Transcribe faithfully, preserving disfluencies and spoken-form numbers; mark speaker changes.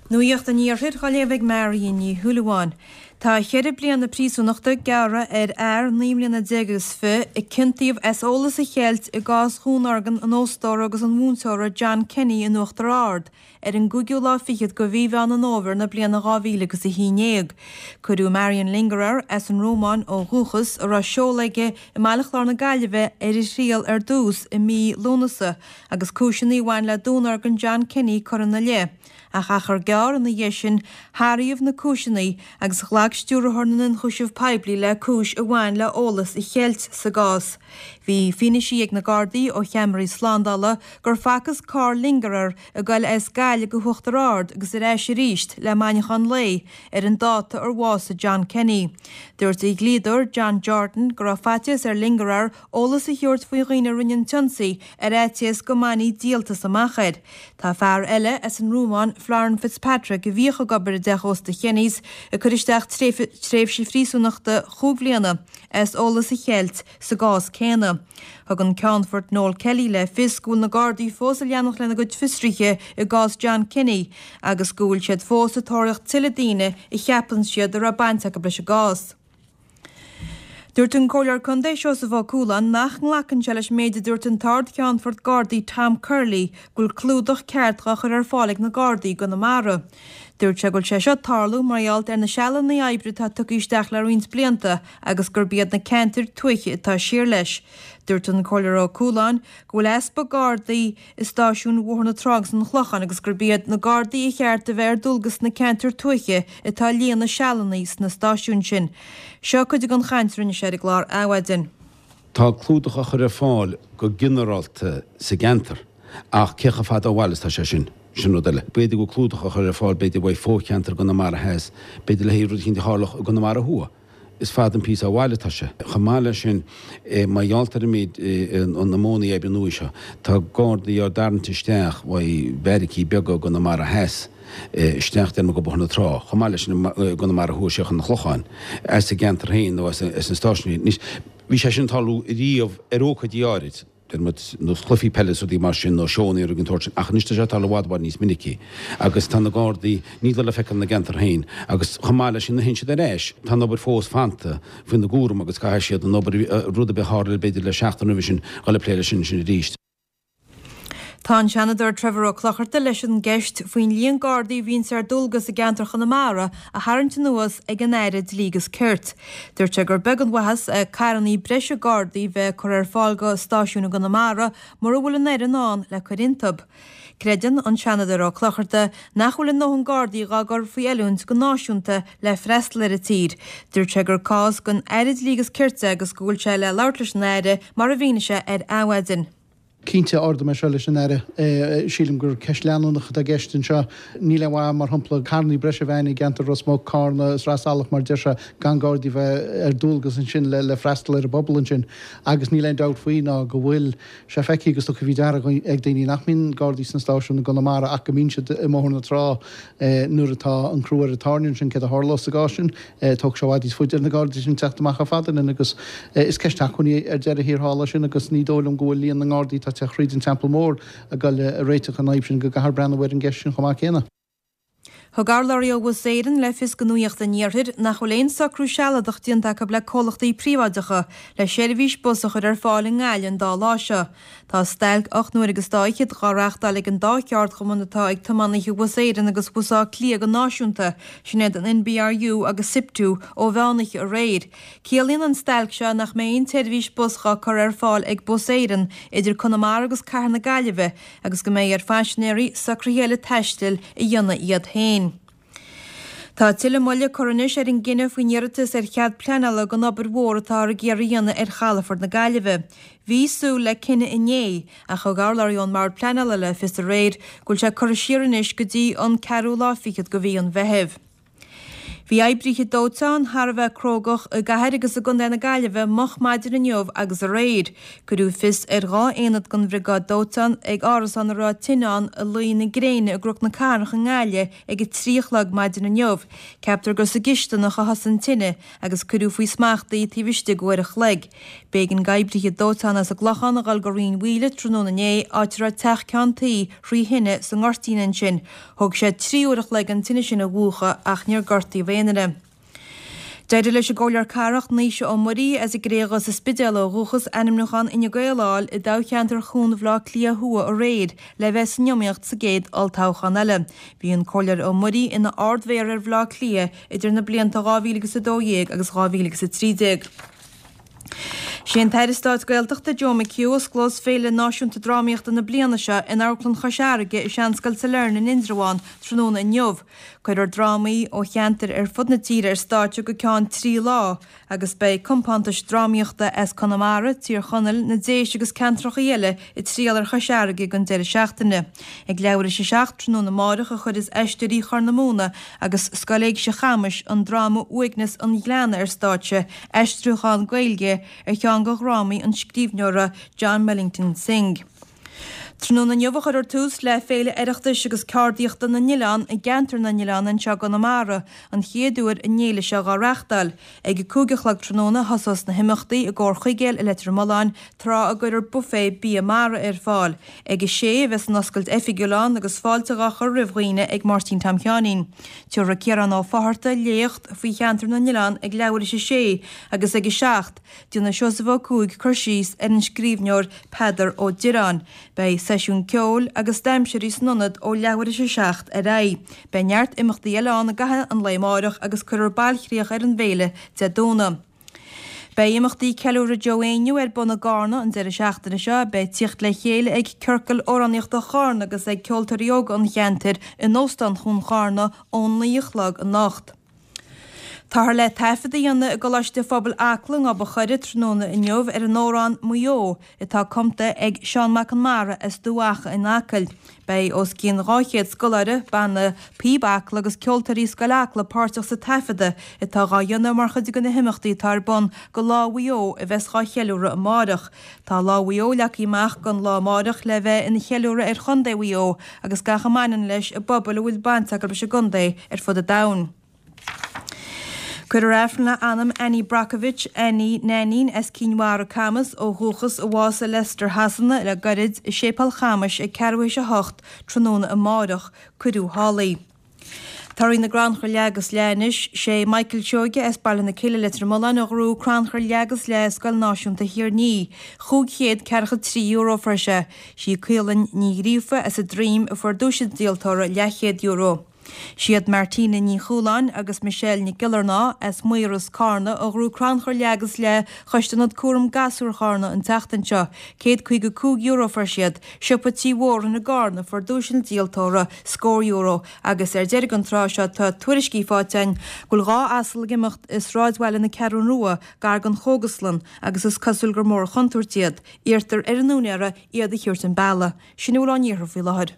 Speaker 1: Nuacht an Iarthair á léamh ag Marion Ní Shúilleabháin. Tá ceithre bliana príosúnachta gearrtha ar fhear naoi mbliana déag agus fiche a ciontaíodh as eolas a cheilt i gcás dhúnorgain an óstóra agus an mhúinteora John Kenny in Uachtar Ard ar an gcúigiú lá fichead de mhí Mheán an Fhómhair na bliana dhá mhíle agus a haon déag. Cuireadh Marian Lingerer as an Rómáin ó dhúchas a raibh seoladh aige i mBaile Chláir na Gaillimhe ar a thriail ar dtús i mí Lúnasa agus cúiseanna a bhain le dúnorgain John Kenny curtha ina leith. Ach achar gearr ina dhiaidh sin hathraíodh na cúiseanna agus ghlac stiúrthóir na n-ionchúiseamh poiblí le cúis a bhain le eolas a cheilt sa gcás. Bhí fianaise ag na Gardaí ó cheamaraí slándála gur facthas carr Lingerer ag goil as Gaillimh go hUachtar Ard agus ar ais arís le maidneachan lae ar an dáta ar bhásaigh John Kenny. Dúirt a dhlíodóir John Jordan go raibh faitíos ar Lingerer eolas a thabhairt faoi dhaoine a rinne an t-ionsaí ar fhaitíos go mbainfí díoltas amach air. Tá fear eile as an Rómáin Florin Fitzpatrick a bhíodh ag obair i dteach ósta Kenny's ag cur isteach tréimhse phríosúnachta chúig bhliana as eolas a cheilt sa gcás céanna. Thug an Ceannfort Noel Kelly le fios go bhfuil na Gardaí fós ag leanacht lena gcuid fiosruithe i gcás John Kenny agus go bhfuil siad fós ag tóraíocht tuilleadh daoine a cheapann siad a raibh baint acu leis an gcás. Dúirt an Comhairleoir Contae Seosamh Ó Cualáin nach nglacann sé leis an méid a dúirt an tArd-Cheannfort Gardaí Tom Curley go bhfuil clúdach ceart á chur ar fáil ag na Gardaí i gConamara. Dúirt sé go bhfuil sé seo ag tarlú mar gheall ar na sealanna oibre atá tugtha isteach le roinnt blianta agus gurb iad na ceantair tuaithe atá siar leis. Dúirt an Comhairleoir Ó Cualáin go bhfuil easpa Gardaí i stáisiúin Bhóthar na Trá agus an Chlocháin agus gurb iad na Gardaí a cheart a bheith ar dualgas sna ceantair tuaithe atá ag líonadh sealanna sna stáisiúin sin. Seo cuid den chaint a rinne sé ar an gclár Adhmhaidin.
Speaker 2: Tá clúdach á chur ar fáil go ginearálta sa gceantar ach cé chomh fada ó bhaile is atá sé sin, sin rud eile. B'fhéidir go bhfuil clúdach á chur ar fáil b'fhéidir uaidh fo-cheantar i gConamara Theas, b'fhéidir le haghaidh rud eicínt a tharlódh i gConamara Thuaidh. Is fada an píosa ó bhaile atá sé. Chomh maith leis sin, mar gheall ar an méid, na modhanna oibre nua seo, tá Gardaí á dtarraingt isteach uaidh beairicí beaga i gConamara Theas isteach déarfainn go Bóthar na Trá, chomh maith leis sin i gConamara Thuaidh siar chun an Chlocháin, as a gceantar féin nó as na stáisiúin. Anois, bhí sé sin ag tarlú riamh ar ócáidí áirid. deir muid, nós cluichí peile is rudaí mar sin nó seónna nó rudaí den tsórt sin ach anois tá sé ag tarlú i bhfad i bhfad níos minicí agus tá na Gardaí, níl le feiceáil ina gceantar féin agus chomh maith leis sin nuair a théann siad ar ais tá an obair fós fanta faoina gcúram agus caithfidh siad an obair, rud ar bith a tharla b'fhéidir le seachtain roimhe sin, dhul ag plé leis sin ansin arís.
Speaker 1: Tá an Seanadóir Trevor Ó Clochartaigh leis an gceist faoin líon Gardaí a bhíonns ar dualgas i gceantar Chonamara a tharraingt anuas ag an Aire Dlí agus Cirt. Dúirt sé gur beag an mhaitheas é carrannaí breise Gardaí bheith curtha ar fáil go stáisiúin i gConamara mura bhfuil an fhoireann ann le cur iontub. Creideann an Seanadóir Ó Clochartaigh nach bhfuil a ndóthain Gardaí dhá gcur faoi oiliúint go náisiúnta le freastal ar an tír. Dúirt sé gur cás don Aire Dlí agus Cirt é agus go bhfuil sé le labhairt leis an Aire mar a mhínigh sé ar Adhmhaidin.
Speaker 3: Cinnte, ardóidh mé seo leis an Aire. Sílim gur ceist leanúnach atá i gceist anseo. Níl aon mhaith, mar shampla, carrannaí breise a bheith againn i gceantar Ros Muc, Carna is Ros Eallach, mar deir sé, gan Gardaí bheith ar dualgas ansin le freastal ar an bpobal ansin. Agus níl aon dabht faoi ná go bhfuil sé feicthe agus tugtha faoi deara ag daoine nach mbíonn Gardaí sna stáisiúin i gConamara ach go mbíonn siad i mBóthar na Trá nuair atá an crú ar an tairne ansin. Céard a tharlós sa gcás sin? Tógfaidh sé i bhfad níos faide ar na Gardaí sin teacht amach chomh fada linn agus is ceist acmhainní ar deireadh thiar thall é sin agus ní dóigh liom go bhfuil líon na nGardaí atá ag teacht thríd an Teampall Mór ag goil a réiteach an fhadhb sin go gcaithfear breathnú ar an gceist sin chomh maith céanna.
Speaker 1: Thug urlabhraí ó Bhus Éireann le fios do Nuacht an Iarthair nach bhfuil aon socrú sealadach déanta acu le comhlachtaí príobháideacha le seirbhís bus a chur ar fáil i nGaillimh an dá lá seo. Tá stailc ocht n-uaire agus dá fhichead dhá reáchtáil ag an dá cheardchumann atá ag tiománaithe Bhus Éireann agus Bhus Átha Cliath go náisiúnta, sin iad an NBRU agus Siptu, ó mheánoíche aréir. Ciallaíonn an stailc seo nach mbeidh aon tseirbhís bus dhá cur ar fáil ag Bus Éireann idir Conamara agus Cathair na Gaillimhe agus go mbeidh ar phaisinéirí socruithe eile taistil a dhéanamh iad féin. Tá tuilleadh moille curtha anois ar an gcinneadh faoin iarratas ar chead pleanála don obair mhór atáthar ag iarraidh a dhéanamh ar chalafort na Gaillimhe. Bhí súil le cinneadh inné, ach thug urlabhraí ón mBord Pleanála le fios aréir go bhfuil sé curtha siar anois go dtí an ceathrú lá fichead de mhí an Mheithimh. Bhí oibrithe dóiteáin thar a bheith crógach i gcathair agus i gContae na Gaillimhe moch maidin inniu agus aréir. Cuireadh fios ar dhá aonad den bhriogáid dóiteáin ag árasán a raibh tine ann i Luí na Gréine i gCnoc na Cathrach i nGaillimh ag a trí a chlog maidin inniu. Ceaptar gur sa gcisteanach a thosaigh an tine agus cuireadh faoi smacht í taobh istigh d'uair a chloig. B'éigean d'oibrithe dóiteáin as an gClochán a dhul go Rinn Mhaoile tráthnóna inné, áit a raibh teach ceann tuí thrí thine sa ngoirtín ansin. Thóg sé trí uair a chloig an tine sin a mhúchadh ach níor gortaíodh aon duine. D'éirigh leis an gComhairleoir Cathrach Naoise Ó Muirí as an gCré Dhubh sa Spidéal ó dhúchas ainmniúchán Fhine Gael a fháil i dtoghcheantar Chuan Bhaile Átha Cliath Thuaidh aréir le bheith san iomaíocht sa gcéad olltoghchán eile. Bhí an Comhairleoir Ó Muirí ina Ard-Mhéara ar Bhaile Átha Cliath idir na blianta dhá mhíle agus a dó dhéag agus dhá mhíle agus a trí déag. Sé an tAire Stáit Gaeltachta Joe McHugh a osclós Féile Náisiúnta Drámaíochta na bliana seo in Amharclann Chois Fharraige i Seanscoil Sailearna in Indreabhán tráthnóna inniu. Cuirfear drámaí ó cheantair ar fud na tíre ar stáitse go ceann trí lá agus beidh compántais drámaíochta as Conamara, Tír Chonaill, na Déise agus ceantracha eile ag triall ar Chois Fharraige don deireadh seachtaine. Ag leathuair théis a seacht tráthnóna amárach a chuirfeas Aisteoirí Chorr na Móna agus Scoil Éigse Chamais an dráma Uaigneas an Ghleanna ar stáitse, aistriúchán Gaeilge ar cheann de dhrámaí an scríbhneora John Millington Synge. Tráthnóna inniu a chuirfear tús le Féile Oireachtais agus Ceardaíochta na nOileán i gceantar na nOileán anseo i gConamara, an chéad uair an fhéile seo dhá reáchtáil. Ag a cúig a chlog tráthnóna a thosós na himeachtaí i gComhar Chuigéil i Leitir Mealláin, tráth a gcuirfear buffet bia mara ar fáil. Ag a sé a bheas an oscailt oifigiúil ann agus fáilte dhá chur roimh dhaoine ag Máirtín Tom Sheáinín. Tabharfaidh Ciarán Ó Fátharta léacht faoi cheantar na nOileán ag leathuair théis a sé agus ag a seacht, déanfaidh Seosamh Ó Cuaig cur síos ar an scríbhneoir Peadar Ó Direáin. Beidh seisiún ceoil agus damhsóirí san ionad ó leathuair théis a seacht ar aghaidh. Beidh neart imeachtaí eile ann i gcaitheamh an lae amárach agus cuirfear bailchríoch ar an bhféile Dé Domhnaigh. Beidh imeachtaí Ceiliúradh Joe Éinniú ar bun i gCarna an deireadh seachtaine seo. Beidh tíocht le chéile ag Ciorcal Amhránaíochta Charna agus ag ceoltóirí óga an cheantair in Óstán Chuan Charna ón naoi a chlog anocht. Táthar le taifead a dhéanamh i gColáiste Phobail Acla i nGob an Choire tráthnóna inniu ar an amhrán Maigh Eo atá cumta ag Seán Mac Con Mara as Dumha Acha in Acaill. Beidh os cionn dhá chéad scoláire, Banna Píob Acla agus ceoltóirí Scoil Acla páirteach sa taifeadadh atá dhá dhéanamh mar chuid de na himeachtaí atá ar bun go Lá Mhaigh Eo a bheas dhá cheiliúradh amáireach. Tá Lá Mhaigh Eo leagtha amach don lá amáireach le bheith ina cheiliúradh ar Chontae Mhaigh Eo agus gach a mbaineann leis i bpobail a bhfuil baint acu leis an gcontae ar fud an domhain. Cuirfear Aifreann le anam Annie Brockovich, Annie Nainín as Cinn Mhara, Camas, ó dhúchas, a bhásaigh i Leicester Shasana le gairid, i Séipéal Chamais ag ceathrú théis a hocht tráthnóna amáireach. Cuireadh thall í. Torthaí na gcrannchur leath agus leath anois. Sé Michael Seoige as Baile na Cille, Leitir Mealláin a ghnóthaigh crannchur leath agus leath i Scoil Náisiúnta Thír an Fhia. Chúig chéad ceathracha trí euro a fuair sé. Sí Caolann Ní Ghríofa as an Droim a fuair duais an díoltóra, leathchéad euro. Siad Martina Ní Chualáin agus Michelle Nic Giollarnáth as Maoras, Carna a ghnóthaigh crannchur leath agus leath Choiste Ionad Cúram Gasúr Charna an tseachtain seo. Céad caoga cúig euro a fuair siad. Siopa Tí Mhóráin i gCarna a fuair duais an díoltóra, scór euro, agus ar deireadh an tráth seo tá tuairiscí faighte againn go bhfuil dhá asal ag imeacht i sráidbhaile na Ceathrún Rua gar don chógaslann agus is cosúil gur mór an chontúirt iad. Iarrtar ar a n-úinéara iad a thabhairt an bealaigh. Sin a bhfuil ón iarthar faoi láthair.